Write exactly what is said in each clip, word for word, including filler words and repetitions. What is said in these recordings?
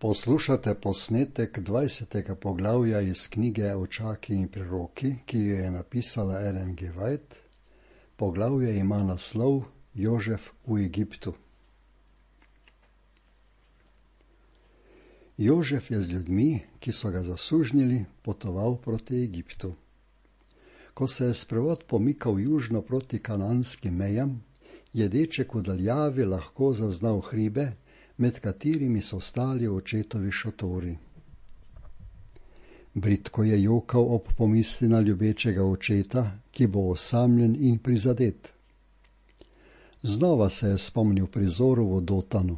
Poslušate posnetek dvajsetega poglavja iz knjige Očaki in priroki, ki jo je napisala Ellen G. White. Poglavje ima naslov Jožef v Egiptu. Jožef je z ljudmi, ki so ga zasužnjili, potoval proti Egiptu. Ko se je sprevod pomikal južno proti kananskim mejam, je deček v daljavi lahko zaznal hribe, med katerimi so stali očetovi šotori. Bridko je jokal ob pomisli na ljubečega očeta, ki bo osamljen in prizadet. Znova se je spomnil prizoru v Dotanu.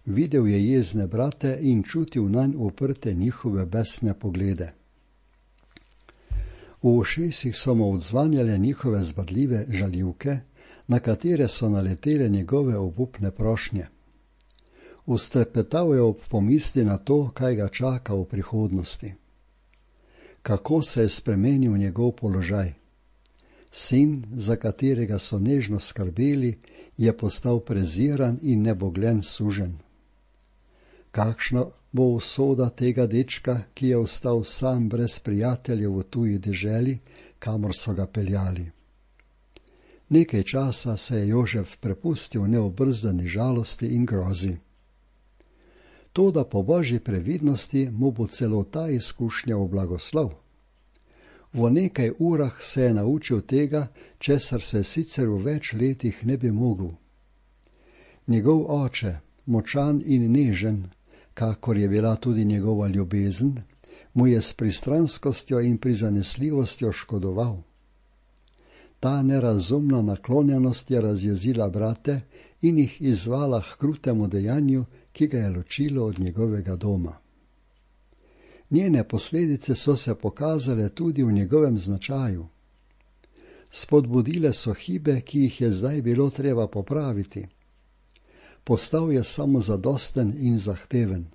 Videl je jezne brate in čutil nanj uprte njihove besne poglede. V ušesih so mu odzvanjale njihove zbadljive žaljivke, na katere so naletele njegove obupne prošnje. Ustrepetal je ob pomisli na to, kaj ga čaka v prihodnosti. Kako se je spremenil njegov položaj. Sin, za katerega so nežno skrbeli, je postal preziran in nebogljen suženj. Kakšna bo usoda tega dečka, ki je ostal sam brez prijateljev v tuji deželi, kamor so ga peljali? Nekaj časa se je Jožef prepustil neobrzdani žalosti in grozi. Toda po božji previdnosti mu bo celo ta izkušnja v blagoslov. V nekaj urah se je naučil tega, česar se sicer v več letih ne bi mogel. Njegov oče, močan in nežen, kakor je bila tudi njegova ljubezen, mu je s pristranskostjo in prizanesljivostjo škodoval. Ta nerazumna naklonjenost je razjezila brate in jih izzvala h krutemu dejanju, ki ga je ločilo od njegovega doma. Njene posledice so se pokazale tudi v njegovem značaju. Spodbudile so hibe, ki jih je zdaj bilo treba popraviti. Postal je samozadosten in zahteven.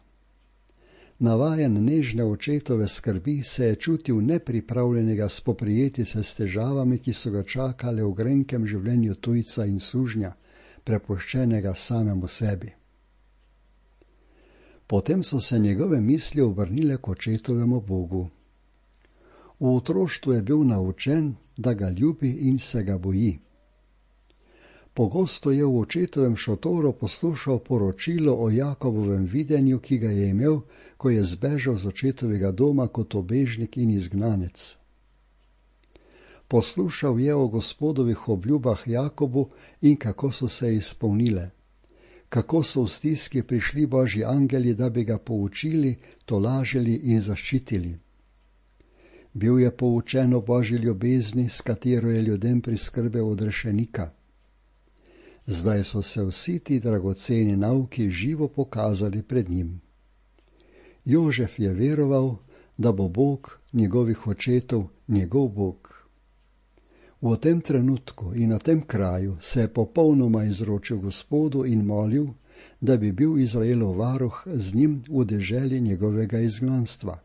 Navajen nežne očetove skrbi se je čutil nepripravljenega spoprijeti se s težavami, ki so ga čakale v grenkem življenju tujca in sužnja, prepuščenega samemu sebi. Potem so se njegove misli obrnile k očetovemu Bogu. V otroštvu je bil naučen, da ga ljubi in se ga boji. Pogosto je v očetovem šotoru poslušal poročilo o Jakobovem videnju, ki ga je imel, ko je zbežal z očetovega doma kot obežnik in izgnanec. Poslušal je o Gospodovih obljubah Jakobu in kako so se izpolnile. Kako so v stiski prišli božji angeli, da bi ga poučili, tolažili in zaščitili. Bil je poučen o božji ljubezni, s katero je ljudem priskrbel odrešenika. Zdaj so se vsi ti dragoceni nauki živo pokazali pred njim. Jožef je veroval, da bo Bog njegovih očetov njegov Bog. V tem trenutku in na tem kraju se je popolnoma izročil Gospodu in molil, da bi bil Izraelov varuh z njim v deželi njegovega izgnanstva.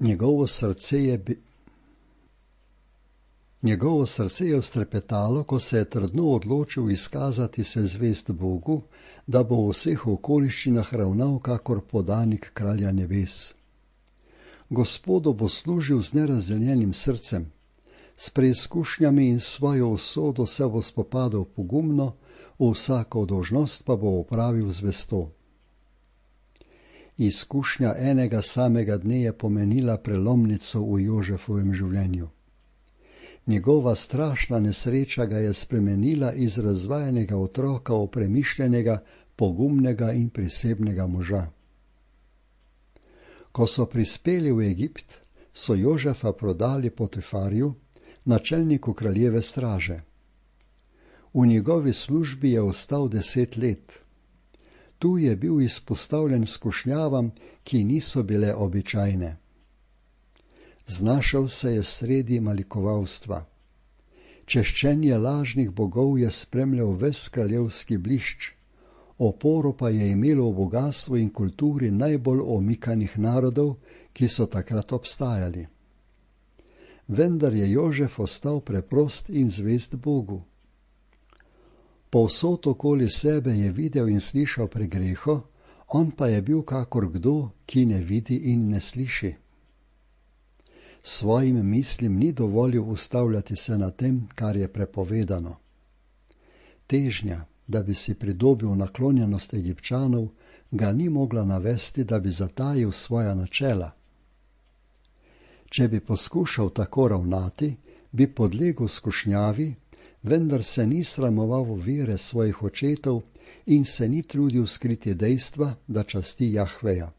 Njegovo srce je, bi... Njegovo srce je vztrepetalo, ko se je trdno odločil izkazati se zvest Bogu, da bo v vseh okoliščinah ravnal kakor podanik kralja nebes. Gospodu bo služil z nerazdeljenim srcem, s preizkušnjami in svojo usodo se bo spopadal pogumno, vsako dolžnost pa bo opravil zvesto. Izkušnja enega samega dne je pomenila prelomnico v Jožefovem življenju. Njegova strašna nesreča ga je spremenila iz razvajenega otroka v premišljenega, pogumnega in prisebnega moža. Ko so prispeli v Egipt, so Jožefa prodali Potifarju, načelniku kraljeve straže. V njegovi službi je ostal deset let. Tu je bil izpostavljen skušnjavam, ki niso bile običajne. Znašel se je sredi malikovalstva. Češčenje lažnih bogov je spremljal ves kraljevski blišč, oporo pa je imelo v bogastvu in kulturi najbolj omikanih narodov, ki so takrat obstajali. Vendar je Jožef ostal preprost in zvest Bogu. Povsod okoli sebe je videl in slišal pregreho, on pa je bil kakor kdo, ki ne vidi in ne sliši. Svojim mislim ni dovolil ustavljati se na tem, kar je prepovedano. Težnja, da bi si pridobil naklonjenost Egipčanov, ga ni mogla navesti, da bi zatajil svoja načela. Če bi poskušal tako ravnati, bi podlegel skušnjavi, vendar se ni sramoval vere svojih očetov in se ni trudil skriti dejstva, da časti Jahveja.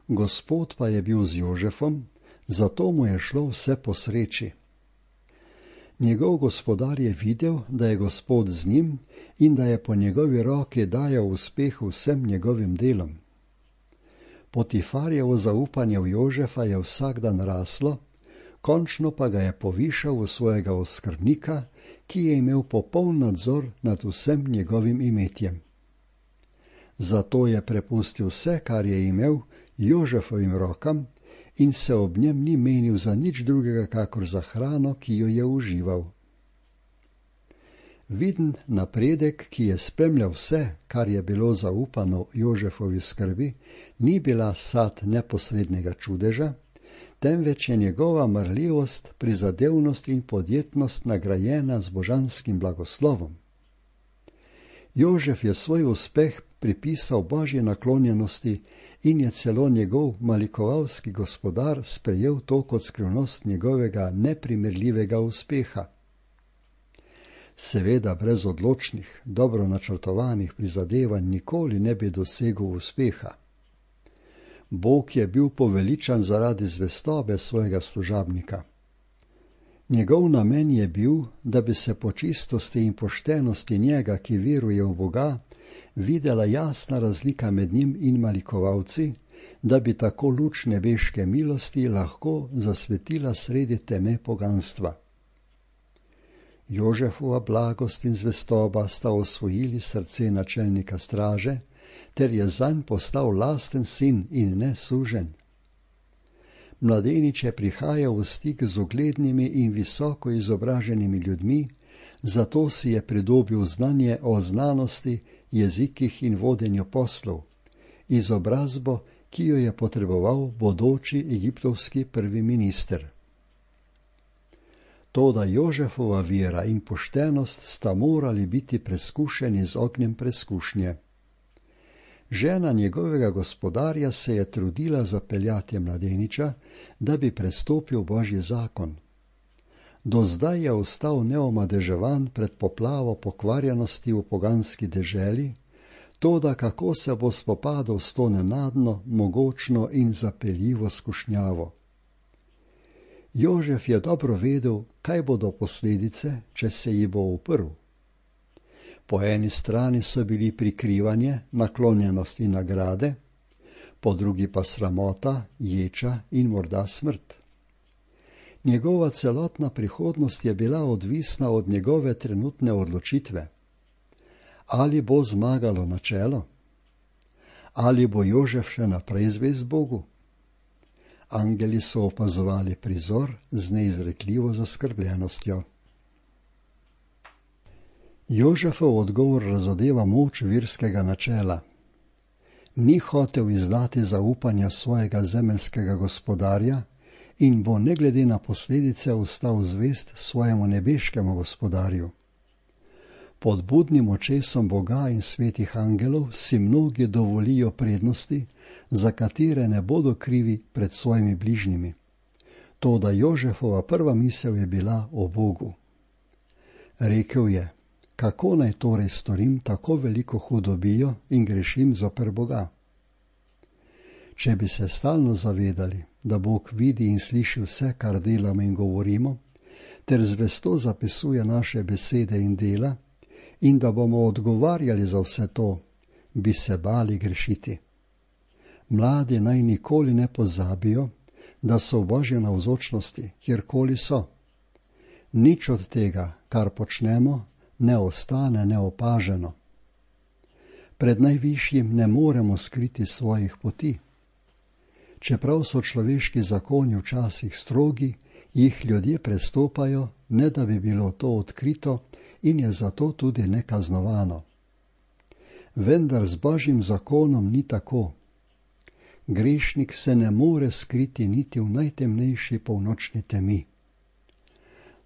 Gospod pa je bil z Jožefom, zato mu je šlo vse po sreči. Njegov gospodar je videl, da je Gospod z njim in da je po njegovi roki dajal uspeh vsem njegovim delom. Potifarjevo zaupanje v Jožefa je vsak dan raslo, končno pa ga je povišal v svojega oskrbnika, ki je imel popoln nadzor nad vsem njegovim imetjem. Zato je prepustil vse, kar je imel, Jožefovim rokam in se ob njem ni menil za nič drugega, kakor za hrano, ki jo je užival. Viden napredek, ki je spremljal vse, kar je bilo zaupano Jožefovi skrbi, ni bila sad neposrednega čudeža, temveč je njegova marljivost, prizadevnost in podjetnost nagrajena z božanskim blagoslovom. Jožef je svoj uspeh pripisal Božji naklonjenosti in je celo njegov malikovalski gospodar sprejel to kot skrivnost njegovega neprimerljivega uspeha. Seveda brez odločnih, dobro načrtovanih prizadevanj nikoli ne bi dosegel uspeha. Bog je bil poveličan zaradi zvestobe svojega služabnika. Njegov namen je bil, da bi se po čistosti in poštenosti njega, ki veruje v Boga, videla jasna razlika med njim in malikovalci, da bi tako luč nebeške milosti lahko zasvetila sredi teme poganstva. Jožefova blagost in zvestoba sta osvojili srce načelnika straže, ter je zanj postal lasten sin in ne suženj. Mladenič je prihajal v stik z uglednimi in visoko izobraženimi ljudmi, zato si je pridobil znanje o znanosti, jezikih in vodenju poslov, izobrazbo, ki jo je potreboval bodoči egiptovski prvi minister. Toda Jožefova vera in poštenost sta morali biti preskušeni z ognjem preskušnje. Žena njegovega gospodarja se je trudila zapeljati mladeniča, da bi prestopil Božji zakon. Do zdaj je ostal neomadeževan pred poplavo pokvarjenosti v poganski deželi, toda kako se bo spopadal s to nenadno, mogočno in zapeljivo skušnjavo. Jožef je dobro vedel, kaj bodo posledice, če se ji bo uprl. Po eni strani so bili prikrivanje, naklonjenost in nagrade, po drugi pa sramota, ječa in morda smrt. Njegova celotna prihodnost je bila odvisna od njegove trenutne odločitve. Ali bo zmagalo načelo? Ali bo Jožef še naprej zvest Bogu? Angeli so opazovali prizor z neizrekljivo zaskrbljenostjo. Jožefov odgovor razodeva moč verskega načela. Ni hotel izdati zaupanja svojega zemeljskega gospodarja in bo ne glede na posledice ostal zvest svojemu nebeškemu gospodarju. Pod budnim očesom Boga in svetih angelov si mnogi dovolijo prednosti, za katere ne bodo krivi pred svojimi bližnjimi. Toda Jožefova prva misel je bila o Bogu. Rekel je, kako naj torej storim tako veliko hudobijo in grešim zoper Boga? Če bi se stalno zavedali, da Bog vidi in sliši vse, kar delamo in govorimo, ter zvesto zapisuje naše besede in dela, in da bomo odgovarjali za vse to, bi se bali grešiti. Mladi naj nikoli ne pozabijo, da so v Božji navzočnosti, kjerkoli so. Nič od tega, kar počnemo, ne ostane neopaženo. Pred najvišjim ne moremo skriti svojih poti. Čeprav so človeški zakoni včasih strogi, jih ljudje prestopajo, ne da bi bilo to odkrito in je zato tudi nekaznovano. Vendar z Božjim zakonom ni tako. Grešnik se ne more skriti niti v najtemnejši polnočni temi.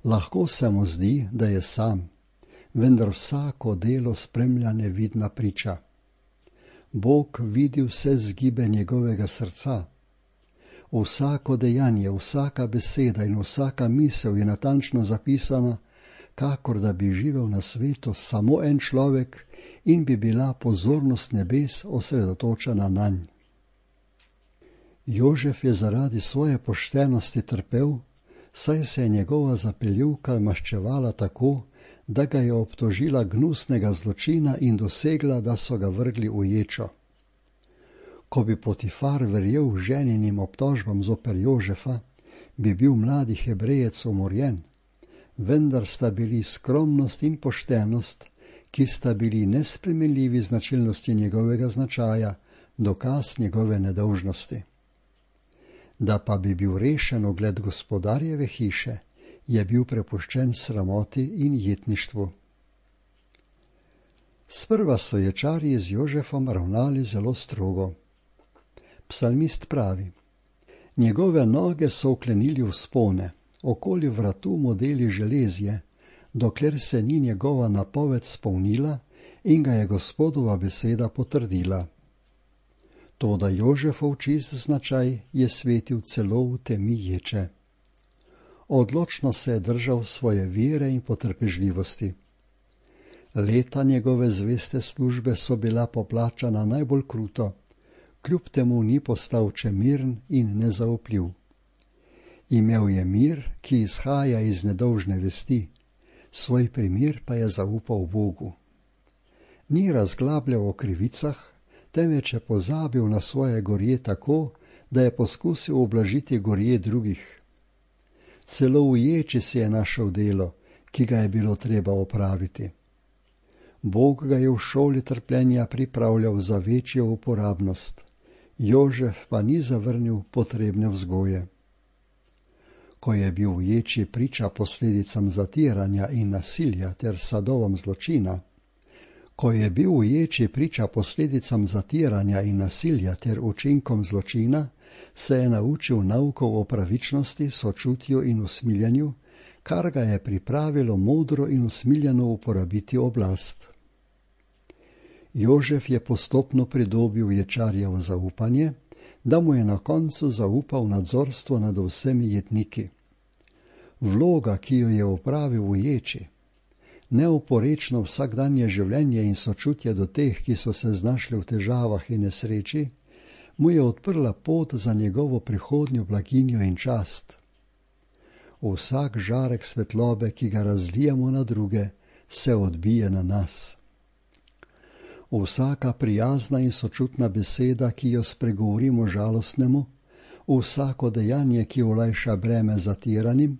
Lahko se mu zdi, da je sam, vendar vsako delo spremlja nevidna priča. Bog vidi vse zgibe njegovega srca. Vsako dejanje, vsaka beseda in vsaka misel je natančno zapisana, kakor da bi živel na svetu samo en človek in bi bila pozornost nebes osredotočena nanj. Jožef je zaradi svoje poštenosti trpel, saj se je njegova zapeljivka maščevala tako, da ga je obtožila gnusnega zločina in dosegla, da so ga vrgli v ječo. Ko bi Potifar verjel ženinim obtožbam zoper Jožefa, bi bil mladi Hebrejec umorjen, vendar sta bili skromnost in poštenost, ki sta bili nespremenljivi značilnosti njegovega značaja, dokaz njegove nedolžnosti. Da pa bi bil rešen ugled gospodarjeve hiše, je bil prepuščen sramoti in jetništvu. Sprva so ječarji z Jožefom ravnali zelo strogo. Psalmist pravi: njegove noge so vklenili v spone, okoli vratu modeli železje, dokler se ni njegova napoved spolnila in ga je Gospodova beseda potrdila. Toda Jožefov čist značaj je svetil celo v temi ječe. Odločno se je držal svoje vere in potrpežljivosti. Leta njegove zveste službe so bila poplačana najbolj kruto, kljub temu ni postal čemirn in nezaupljiv. Imel je mir, ki izhaja iz nedolžne vesti, svoj primer pa je zaupal Bogu. Ni razglabljal o krivicah, temveč je pozabil na svoje gorje tako, da je poskusil ublažiti gorje drugih. Celo v ječi si je našel delo, ki ga je bilo treba opraviti. Bog ga je v šoli trpljenja pripravljal za večjo uporabnost. Jožef pa ni zavrnil potrebne vzgoje. Ko je bil v ječi priča posledicam zatiranja in nasilja ter sadovom zločina, Ko je bil v ječi priča posledicam zatiranja in nasilja ter učinkom zločina, se je naučil naukov o pravičnosti, sočutju in usmiljanju, kar ga je pripravilo modro in usmiljeno uporabiti oblast. Jožef je postopno pridobil ječarjevo zaupanje, da mu je na koncu zaupal nadzorstvo nad vsemi jetniki. Vloga, ki jo je opravil v ječi, neoporečno vsakdanje življenje in sočutje do teh, ki so se znašli v težavah in nesreči, mu je odprla pot za njegovo prihodnjo blaginjo in čast. Vsak žarek svetlobe, ki ga razlijemo na druge, se odbije na nas. Vsaka prijazna in sočutna beseda, ki jo spregovorimo žalostnemu, vsako dejanje, ki olajša breme zatiranim,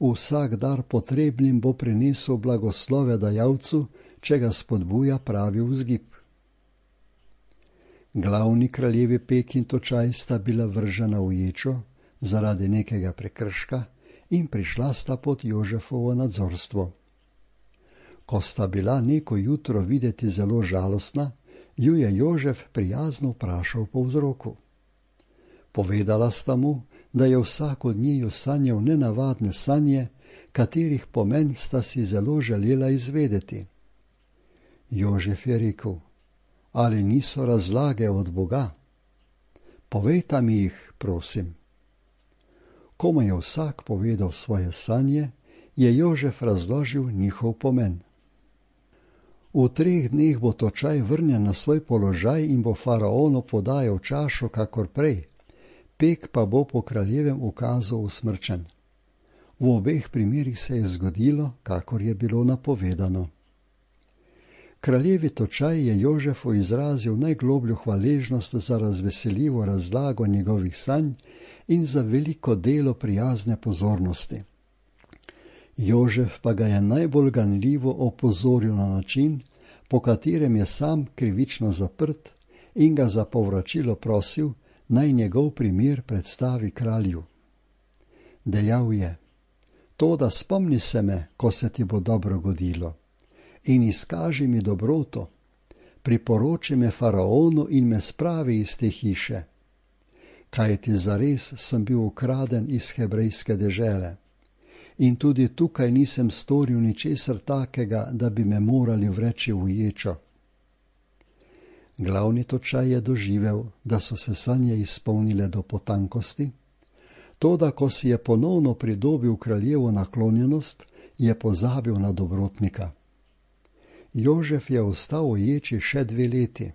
vsak dar potrebnim bo prinesel blagoslove dajalcu, če ga spodbuja pravi vzgib. Glavni kraljevi Pek in Točaj sta bila vržena v ječo zaradi nekega prekrška in prišla sta pod Jožefovo nadzorstvo. Ko sta bila neko jutro videti zelo žalostna, ju je Jožef prijazno vprašal po vzroku. Povedala sta mu, da je vsak od njiju sanjal nenavadne sanje, katerih pomen sta si zelo želela izvedeti. Jožef je rekel: ali niso razlage od Boga? Povejta mi jih, prosim. Ko mu je vsak povedal svoje sanje, je Jožef razložil njihov pomen. V treh dneh bo Točaj vrnjen na svoj položaj in bo faraonu podajal čašo kakor prej, Pek pa bo po kraljevem ukazu usmrčen. V obeh primerih se je zgodilo, kakor je bilo napovedano. Kraljevi Točaj je Jožefu izrazil najglobljo hvaležnost za razveseljivo razlago njegovih sanj in za veliko delo prijazne pozornosti. Jožef pa ga je najbolj ganljivo opozoril na način, po katerem je sam krivično zaprt, in ga za povračilo prosil, naj njegov primer predstavi kralju. Dejal je: toda spomni se me, ko se ti bo dobro godilo. in izkaži mi dobroto, priporoči me faraonu in me spravi iz te hiše. Kajti zares sem bil ukraden iz hebrejske dežele. In tudi tukaj nisem storil ničesar takega, da bi me morali vreči v ječo. Glavni točaj je doživel, da so se sanje izpolnile do potankosti, toda ko si je ponovno pridobil kraljevo naklonjenost, je pozabil na dobrotnika. Jožef je ostal v ječi še dve leti.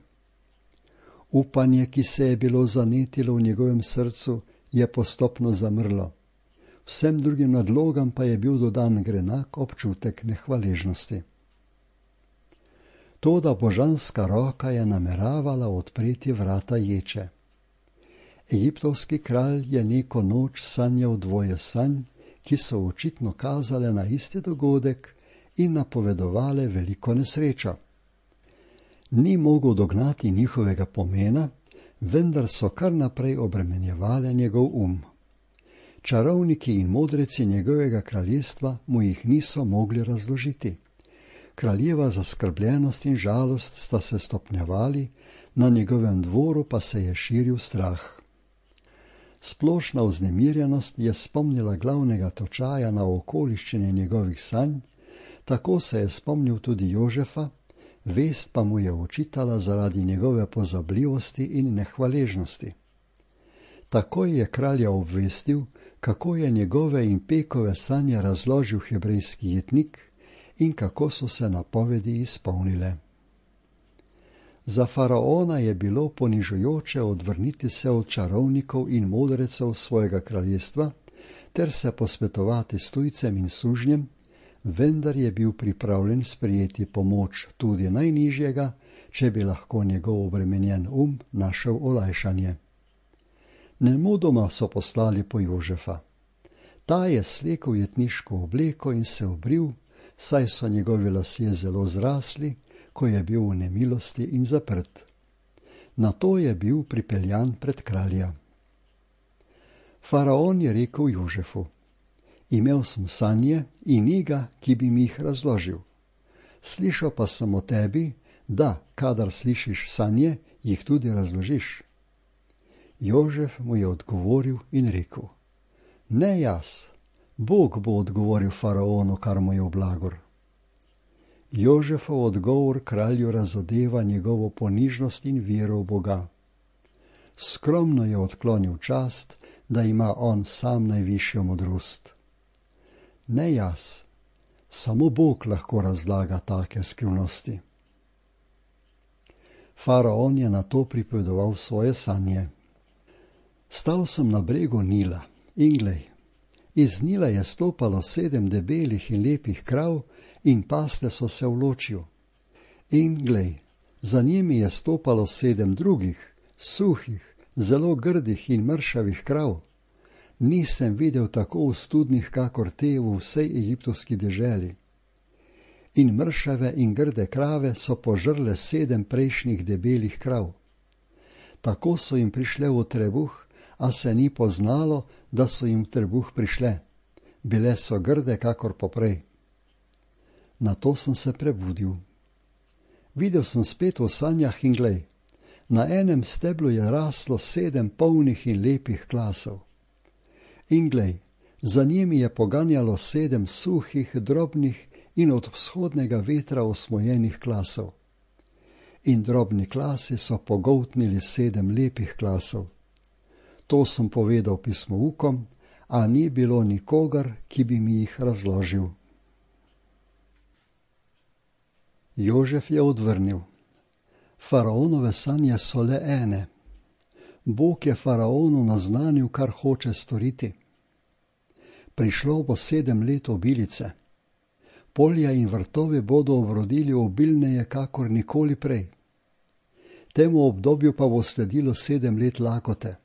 Upanje, ki se je bilo zanetilo v njegovem srcu, je postopno zamrlo. Vsem drugim nadlogam pa je bil dodan grenak občutek nehvaležnosti. Toda božanska roka je nameravala odpreti vrata ječe. Egiptovski kralj je neko noč sanjal dvoje sanj, ki so očitno kazale na isti dogodek in napovedovale veliko nesrečo. Ni mogel dognati njihovega pomena, vendar so kar naprej obremenjevale njegov um. Čarovniki in modreci njegovega kraljestva mu jih niso mogli razložiti. Kraljeva zaskrbljenost in žalost sta se stopnjevali, na njegovem dvoru pa se je širil strah. Splošna vznemirjenost je spomnila glavnega točaja na okoliščine njegovih sanj, tako se je spomnil tudi Jožefa, vest pa mu je očitala zaradi njegove pozabljivosti in nehvaležnosti. Takoj je kralja obvestil, kako je njegove in Pekove sanje razložil hebrejski jetnik in kako so se napovedi izpolnile. Za faraona je bilo ponižujoče odvrniti se od čarovnikov in modrecev svojega kraljestva ter se posvetovati s tujcem in sužnjem, vendar je bil pripravljen sprejeti pomoč tudi najnižjega, če bi lahko njegov obremenjen um našel olajšanje. Nemudoma so poslali po Jožefa. Ta je slekel jetniško obleko in se obril, saj so njegovi lasje zelo zrasli, ko je bil v nemilosti in zaprt. Nato je bil pripeljan pred kralja. Faraon je rekel Jožefu: Imel sem sanje in ni ga, ki bi mi jih razložil. Slišal pa sem o tebi, da, kadar slišiš sanje, jih tudi razložiš. Jožef mu je odgovoril in rekel: Ne jaz, Bog bo odgovoril faraonu, kar mu je v blagor. Jožefov odgovor kralju razodeva njegovo ponižnost in vero v Boga. Skromno je odklonil čast, da ima on sam najvišjo modrost. Ne jaz, samo Bog lahko razlaga take skrivnosti. Faraon je nato pripovedoval svoje sanje. Stal sem na bregu Nila in glej, iz Nila je stopalo sedem debelih in lepih krav in pasle so se v ločju. In glej, za njimi je stopalo sedem drugih, suhih, zelo grdih in mršavih krav. Nisem videl tako ostudnih, kakor te v vsej egiptovski deželi. In mršave in grde krave so požrle sedem prejšnjih debelih krav. Tako so jim prišle v trebuh, a se ni poznalo, da so jim v trebuh prišle. Bile so grde, kakor poprej. Nato sem se prebudil. Videl sem spet v sanjah in glej, na enem steblu je raslo sedem polnih in lepih klasov. In glej, za njimi je poganjalo sedem suhih, drobnih in od vzhodnega vetra osmojenih klasov. In drobni klasi so pogoltnili sedem lepih klasov. To sem povedal pismoukom, a ni bilo nikogar, ki bi mi jih razložil. Jožef je odvrnil: Faraonove sanje so le ene. Bog je faraonu naznanil, kar hoče storiti. Prišlo bo sedem let obilice. Polja in vrtovi bodo obrodili obilneje, kakor nikoli prej. Temu obdobju pa bo sledilo sedem let lakote.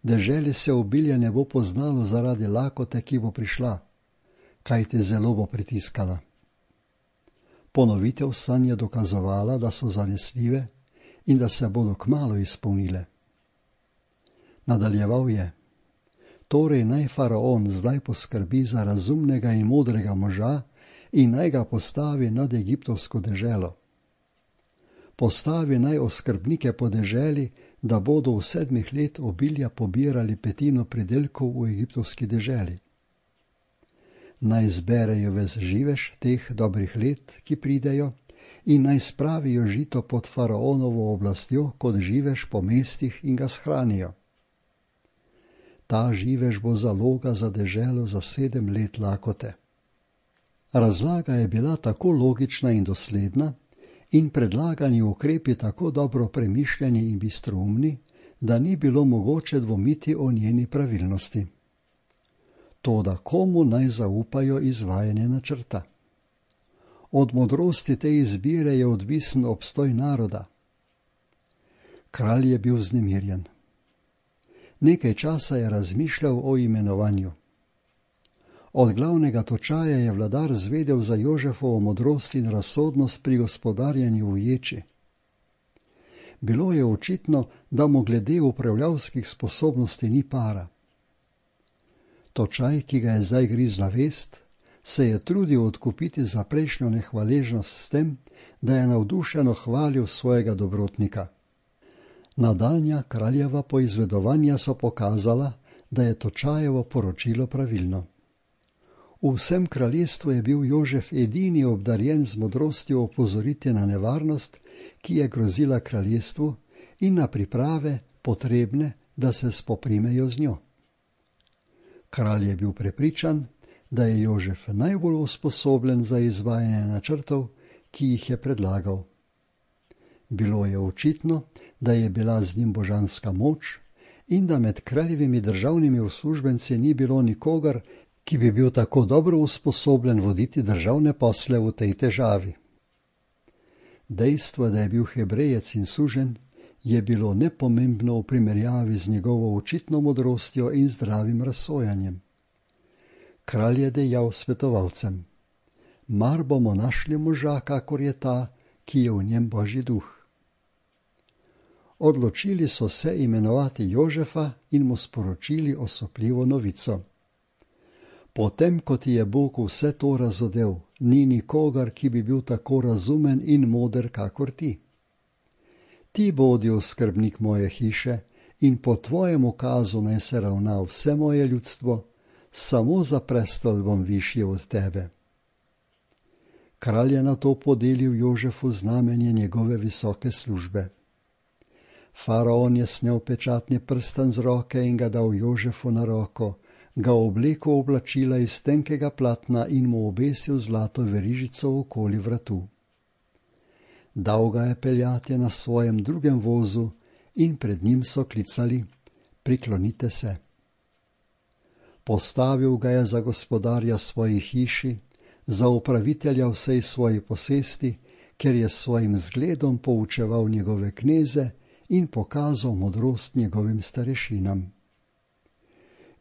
Deželi se obilje ne bo poznalo zaradi lakote, ki bo prišla, kajti zelo bo pritiskala. Ponovitev sanj je dokazovala, da so zanesljive in da se bodo kmalu izpolnile. Nadaljeval je: Torej naj faraon zdaj poskrbi za razumnega in modrega moža, in naj ga postavi nad egiptovsko deželo. Postavi naj oskrbnike po deželi, da bodo v sedmih let obilja pobirali petino pridelkov v egiptovski deželi. Naj zberejo ves živež teh dobrih let, ki pridejo, in naj spravijo žito pod faraonovo oblastjo kot živež po mestih in ga shranijo. Ta živež bo zaloga za deželo za sedem let lakote. Razlaga je bila tako logična in dosledna in predlagani ukrepi tako dobro premišljeni in bistroumni, da ni bilo mogoče dvomiti o njeni pravilnosti. Toda komu naj zaupajo izvajanje načrta? Od modrosti te izbire je odvisen obstoj naroda. Kralj je bil vznemirjen. Nekaj časa je razmišljal o imenovanju. Od glavnega točaja je vladar zvedel za Jožefovo modrost in razsodnost pri gospodarjenju v ječi. Bilo je očitno, da mu glede upravljavskih sposobnosti ni para. Točaj, ki ga je zdaj grizla vest, se je trudil odkupiti za prejšnjo nehvaležnost s tem, da je navdušeno hvalil svojega dobrotnika. Nadaljnja kraljeva poizvedovanja so pokazala, da je Točajevo poročilo pravilno. V vsem kraljestvu je bil Jožef edini obdarjen z modrostjo opozoriti na nevarnost, ki je grozila kraljestvu, in na priprave, potrebne, da se spoprimejo z njo. Kralj je bil prepričan, da je Jožef najbolj usposobljen za izvajanje načrtov, ki jih je predlagal. Bilo je očitno, da je bila z njim božanska moč in da med kraljevimi državnimi uslužbenci ni bilo nikogar, ki bi bil tako dobro usposobljen voditi državne posle v tej težavi. Dejstvo, da je bil Hebrejec in suženj, je bilo nepomembno v primerjavi z njegovo očitno modrostjo in zdravim razsojanjem. Kralj je dejal svetovalcem: mar bomo našli moža, kakor je ta, ki je v njem Božji duh. Odločili so se imenovati Jožefa in mu sporočili osupljivo novico. Potem, ko ti je Bog vse to razodel, ni nikogar, ki bi bil tako razumen in moder, kakor ti. Ti bodi oskrbnik moje hiše in po tvojem ukazu naj se ravna vse moje ljudstvo, samo za prestol bom višji od tebe. Kralj je nato podelil Jožefu znamenje njegove visoke službe. Faraon je snel pečatni prstan z roke in ga dal Jožefu na roko, ga oblekel v oblačila iz tenkega platna in mu obesil zlato verižico okoli vratu. Dal ga je peljati na svojem drugem vozu in pred njim so klicali: priklonite se. Postavil ga je za gospodarja svoji hiši, za upravitelja vsej svoji posesti, ker je s svojim zgledom poučeval njegove kneze in pokazal modrost njegovim starešinam.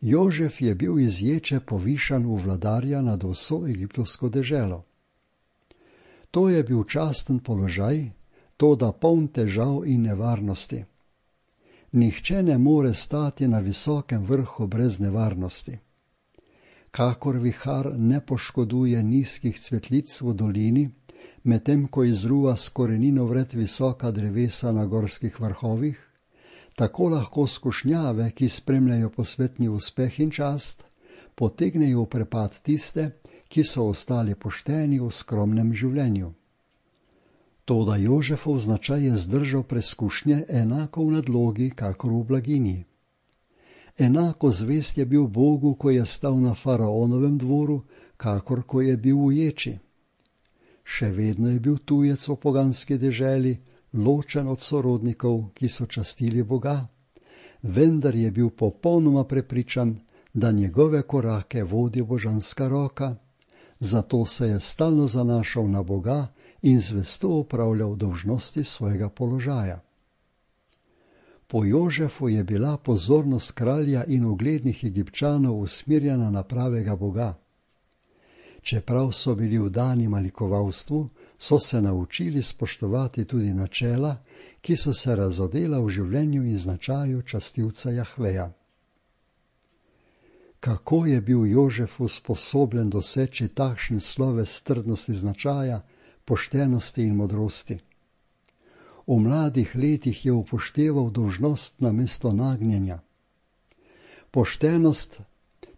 Jožef je bil iz ječe povišan v vladarja nad vso egiptovsko deželo. To je bil časten položaj, toda poln težav in nevarnosti. Nihče ne more stati na visokem vrhu brez nevarnosti. Kakor vihar ne poškoduje nizkih cvetlic v dolini, medtem ko izruva s korenino vred visoka drevesa na gorskih vrhovih, tako lahko skušnjave, ki spremljajo posvetni uspeh in čast, potegnejo v prepad tiste, ki so ostali pošteni v skromnem življenju. Toda Jožefov značaj je zdržal preskušnje enako v nadlogi, kakor v blaginji. Enako zvest je bil Bogu, ko je stal na faraonovem dvoru, kakor ko je bil v ječi. Še vedno je bil tujec v poganski deželi, ločen od sorodnikov, ki so častili Boga, vendar je bil popolnoma prepričan, da njegove korake vodi božanska roka, zato se je stalno zanašal na Boga in zvesto opravljal dolžnosti svojega položaja. Po Jožefu je bila pozornost kralja in uglednih Egipčanov usmerjena na pravega Boga. Čeprav so bili vdani malikovalstvu, so se naučili spoštovati tudi načela, ki so se razodela v življenju in značaju častilca Jahveja. kako je bil Jožef usposobljen doseči takšen sloves trdnosti značaja, poštenosti in modrosti. V mladih letih je upošteval dolžnost namesto nagnjenja. Poštenost,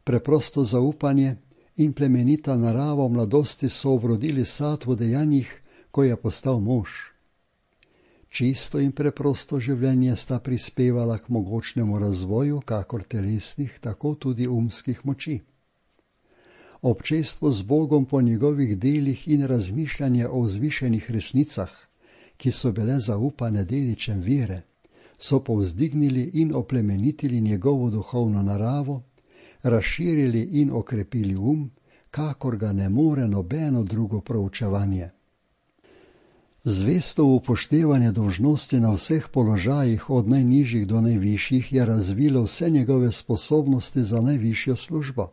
preprosto zaupanje in plemenita narava v mladosti so obrodili sad v dejanjih, ko je postal mož. Čisto in preprosto življenje sta prispevala k mogočnemu razvoju, kakor telesnih, tako tudi umskih moči. Občestvo z Bogom po njegovih delih in razmišljanje o vzvišenih resnicah, ki so bile zaupane dedičem vere, so povzdignili in oplemenitili njegovo duhovno naravo, razširili in okrepili um, kakor ga ne more nobeno drugo proučevanje. Zvesto upoštevanje dolžnosti na vseh položajih od najnižjih do najvišjih je razvilo vse njegove sposobnosti za najvišjo službo.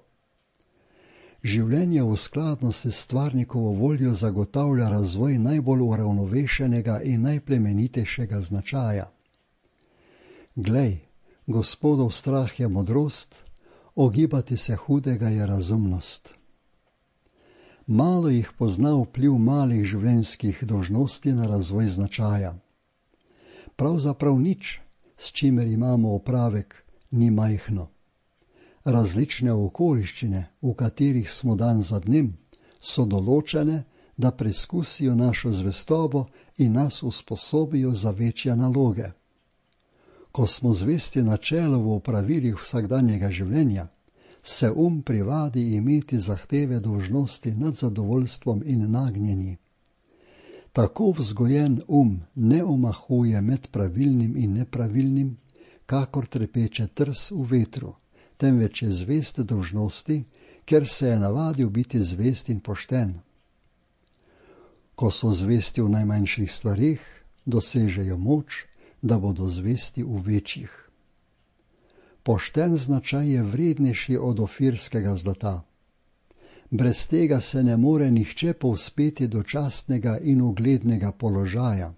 Življenje v skladnosti s stvarnikovo voljo zagotavlja razvoj najbolj uravnovešenega in najplemenitejšega značaja. Glej, Gospodov strah je modrost, ogibati se hudega je razumnost. Malo jih pozna vpliv malih življenjskih dolžnosti na razvoj značaja. Pravzaprav nič, s čimer imamo opravek, ni majhno. Različne okoliščine, v katerih smo dan za dnem, so določene, da preizkusijo našo zvestobo in nas usposobijo za večje naloge. Ko smo zvesti načelu v opravilih vsakdanjega življenja, se um privadi imeti zahteve dolžnosti nad zadovoljstvom in nagnjenji. Tako vzgojen um ne omahuje med pravilnim in nepravilnim, kakor trepeče trs v vetru, temveč je zvest dolžnosti, ker se je navadil biti zvest in pošten. Ko so zvesti v najmanjših stvareh, dosežejo moč, da bodo zvesti v večjih. Pošten značaj je vrednejši od ofirskega zlata. Brez tega se ne more nihče povzpeti do častnega in uglednega položaja.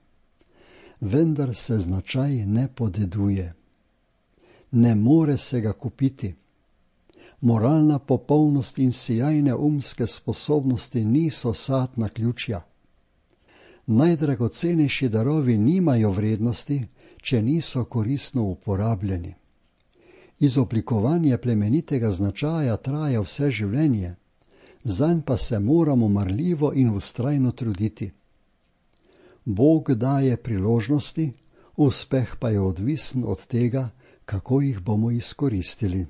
Vendar se značaj ne podeduje. Ne more se ga kupiti. Moralna popolnost in sijajne umske sposobnosti niso sad naključja. Najdragocenejši darovi nimajo vrednosti, če niso koristno uporabljeni. Izoblikovanje plemenitega značaja traja vse življenje, zanj pa se moramo marljivo in vztrajno truditi. Bog daje priložnosti, uspeh pa je odvisen od tega, kako jih bomo izkoristili.